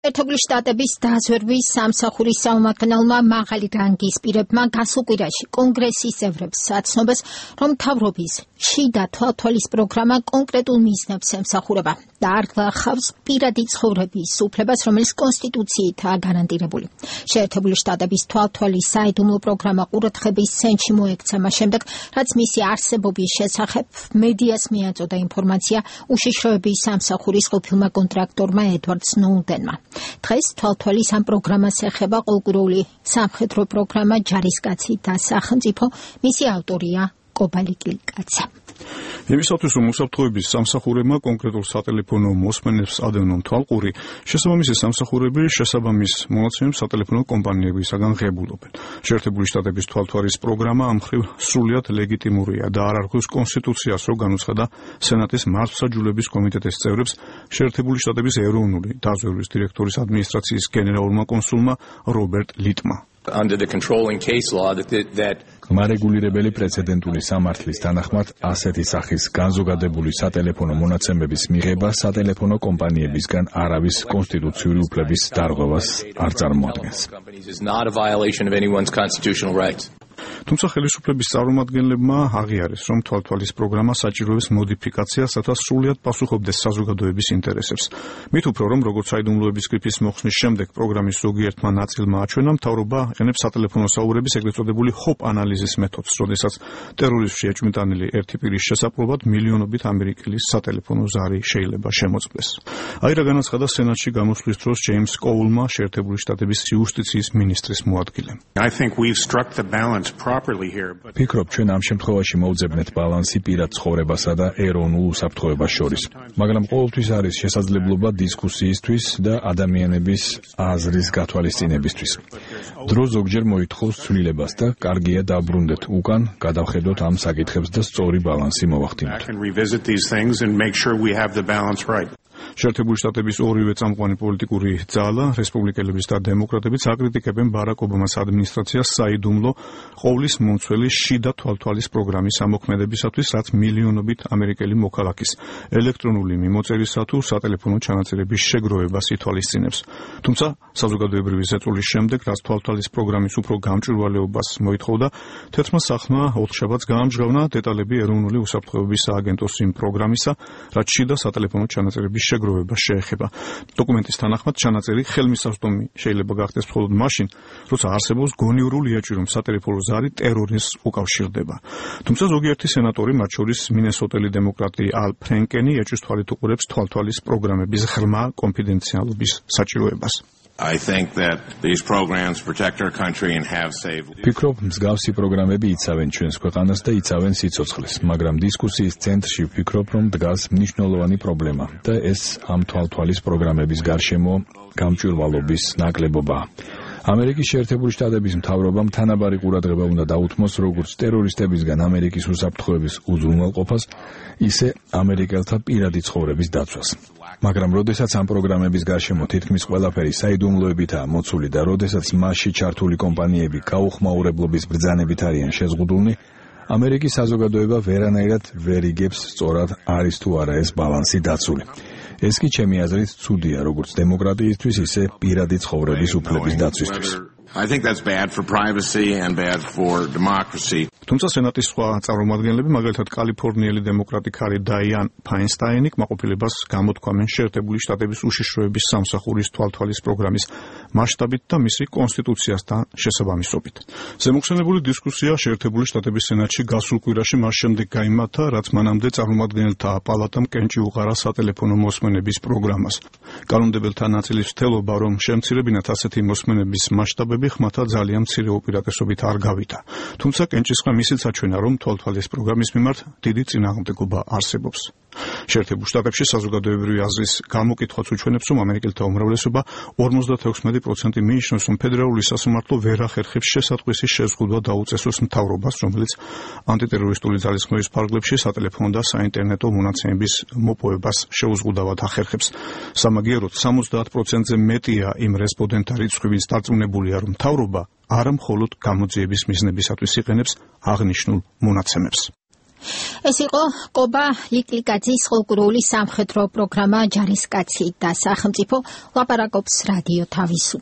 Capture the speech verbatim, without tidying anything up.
ერთებული შტატების დაზვერვის სამსახურის საომარ-მმართველმა მაღალი რანგის პირებმა გასულ კვირაში კონგრესის წევრებს აცნობას, რომ მთავრობის შიდა თვალთვალის პროგრამა კონკრეტულ მიზნებს ემსახურება და არ გლახავს პირადი ცხოვრების უფლებას, რომელიც კონსტიტუციითაა გარანტირებული. შეერთებული შტატების თვალთვალის საიდუმლო პროგრამა ყურადღების ცენტრში მოექცა მას შემდეგ, რაც მისი არსებობის შესახებ მედიას მიაწოდა ინფორმაცია უშიშროების სამსახურის ყოფილმა კონტრაქტორმა ედვარდ სნოუდენმა. დღეს თვალთვალის ამ პროგრამას ეხება ყოველკვირეული სამხედრო პროგრამა ჯარისკაცი და სახელმწიფო, მისი ავტორია კობალი კილიკაცი. იმისათვის, რომ უსაფრთხოების სამსახურებმა კონკრეტულ სატელეფონო მოსმენებს ადევნონ თვალყური, შესაბამისი სამსახურები შესაბამის მონაცემებს სატელეფონო კომპანიებისაგან ღებულობენ. შეერთებული შტატების თვალთვალის პროგრამა ამ მხრივ სრულიად ლეგიტიმურია და არ არღვევს კონსტიტუციას, რომ განუცხადა სენატის მართლმსაჯულების კომიტეტის წევრებს შეერთებული შტატების ეროვნული დაზვერვის დირექტორის ადმინისტრაციის გენერალურმა კონსულმა რობერტ ლიტმა. Under the controlling case law that that მარეგულირებელი პრეცედენტული სამართლის თანახმად ასეთი სახის განზოგადებული სატელეფონო მონაცემების მიღება სატელეფონო კომპანიებისგან არავის კონსტიტუციური უფლების დარღვევას არ წარმოადგენს. თუმცა ხელისუფლების წარმომადგენლებმა აღიარეს, რომ თვალთვალის პროგრამა საჭიროებს მოდიფიკაციას, რათა სრულად პასუხობდეს საზოგადოების ინტერესებს. მით უფრო, რომ როგორც საიდუმლოების გრიფის მოხსნის შემდეგ პროგრამის ზოგიერთმა ნაწილმა აჩვენა, მთავრობა იყენებს სატელეფონო საუბრების ეგრეთ წოდებული ჰოპ ანალიზის მეთოდს, როდესაც ტერორიზმში ეჭვმიტანილი ერთი პირის შესაძლებლად მილიონობით ამერიკელის სატელეფონო ზარი შეიძლება შემოწმდეს. აი რა განაცხადა სენატში გამოსვლის დროს ჯეიმს კოულმა, შეერთებული შტატების იუსტიციის მინისტრის მოადგილემ. ფიქრობ, ჩვენ ამ შემთხვევაში მოვძებნეთ ბალანსი პირად ცხოვრებასა და ეროვნულ უსაფრთხოებას შორის. მაგრამ ყოველთვის არის შესაძლებლობა დისკუსიისთვის და ადამიანების აზრის გათვალისწინებისთვის. დრო ზოგჯერ მოითხოვს ცვლილებას და კარგია დაბრუნდეთ უკან, გადავხედოთ ამ საკითხებს და სწორი ბალანსი მოვახდინოთ. შეერთებული შტატების ორივე წამყვანი პოლიტიკური ძალა, რესპუბლიკელებიც და დემოკრატებიც აკრიტიკებენ ბარაკ ობამას ადმინისტრაციას საიდუმლო ყოვლის მომცველი შიდა თვალთვალის პროგრამის ამოქმედებისათვის, რაც მილიონობით ამერიკელი მოქალაქის ელექტრონული მიმოწერისა თუ სატელეფონო ჩანაწერების შეგროვებას ითვალისწინებს. თუმცა საზოგადოებრივი ზეწოლის შემდეგ, რაც თვალთვალის პროგრამის უფრო გამჭვირვალეობას მოითხოვდა, თერთმა სახლმა ოთხშაბათს გაამჟღავნა დეტალები ეროვნული უსაფრთხოების სააგენტოს იმ პროგრამისა, რაც შიდა სატელეფონო ჩანაწერების შეგროვება შეეხება. დოკუმენტის თანახმად ჩანაწერი ხელმისაწვდომი შეიძლება გახდეს მხოლოდ მაშინ, როცა არსებობს გონივრული ეჭვი, რომ სატელეფონო ზარი ტერორიზმს უკავშირდება. თუმცა ზოგიერთი სენატორი, მათ შორის მინესოტელი დემოკრატი ალ ფრენკენი, ეჭვის თვალით უყურებს თვალთვალის პროგრამების ღრმა კონფიდენციალობის საჭიროებას. I think that these programs protect our country and have saved. ფიქრობ, მსგავსი პროგრამები იცავენ ჩვენს ქვეყანას და იცავენ სიცოცხლეს, მაგრამ დისკუსიის ცენტრში ვფიქრობ, რომ დგას მნიშვნელოვანი პრობლემა და ეს ამ თვალთვალის პროგრამების გარშემო გამჭვირვალობის ნაკლებობაა. ამერიკის შეერთებული შტატების მთავრობამ თანაბარი ყურადღება უნდა დაუთმოს როგორც ტერორისტებისგან ამერიკის უსაფრთხოების უზრუნველყოფას, ისე ამერიკელთა პირადი ცხოვრების დაცვას. მაგრამ როდესაც ამ პროგრამების გარშემო თითქმის ყველაფერი საიდუმლოებითაა მოცული და როდესაც მასში ჩართული კომპანიები გაუხმაურებლობის ბრძანებით არიან შეზღუდულნი, ამერიკის საზოგადოება ვერანაირად ვერ იგებს სწორად არის თუ არა ეს ბალანსი დაცული. ეს კი ჩემი აზრით ცუდია როგორც დემოკრატიისთვის, ისე პირადი ცხოვრების უფლების დაცვისთვის. I think that's bad for privacy and bad for democracy. თუმცა სენატის სხვა წარმომადგენლები, მაგალითად კალიფორნიელი დემოკრატი ქალი დაიან ფაინსტაინი, კმაყოფილებას გამოთქვამენ შეერთებული შტატების უშიშროების სამსახურის თვალთვალის პროგრამის მასშტაბით და მისი კონსტიტუციასთან შესაბამისობით. ზემოხსენებული დისკუსია შეერთებული შტატების სენატში გასულ კვირაში მას შემდეგ გაიმართა, რაც მანამდე წარმომადგენელთა პალატამ კენჭი უყარა სატელეფონო მოსმენების პროგრამას. კანონმდებელთა ნაწილის მცდელობა, რომ შემცირებინათ ასეთი მოსმენების მასშტაბები, ხმათა ძალიან მცირე უპირატესობით არ გავიდა. თუმცა კენჭისყრა ისიც აჩვენა, რომ თვალთვალის პროგრამის მიმართ დიდი წინააღმდეგობა არსებობს. შეერთებულ შტატებში საზოგადოებრივი აზრის გამოკითხვაც უჩვენებს, რომ ამერიკელთა უმრავლესობა ორმოცდაექვსი პროცენტი მიიჩნევს, რომ ფედერალური სასამართლო ვერ ახერხებს შესატყვისის შეზღუდვა დაუწესოს მთავრობას, რომელიც ანტიტერორისტული ძალისხმევის ფარგლებში სატელეფონო და საინტერნეტო მონაცემების მოპოვებას შეუზღუდავად ახერხებს. სამაგიეროდ სამოცდაათ პროცენტზე მეტია იმ რესპონდენტთა რიცხვი, ვინც დარწმუნებულია, რომ მთავრობა არა მხოლოდ გამოძიების მიზნებისათვის იყენებს აღნიშნულ მონაცემებს. ეს იყო კობა ლიკლიკაძის ხალხური სამხედრო პროგრამა ჯარისკაცი და სახელმწიფო ლაპარაკობს რადიო თავისუფლება.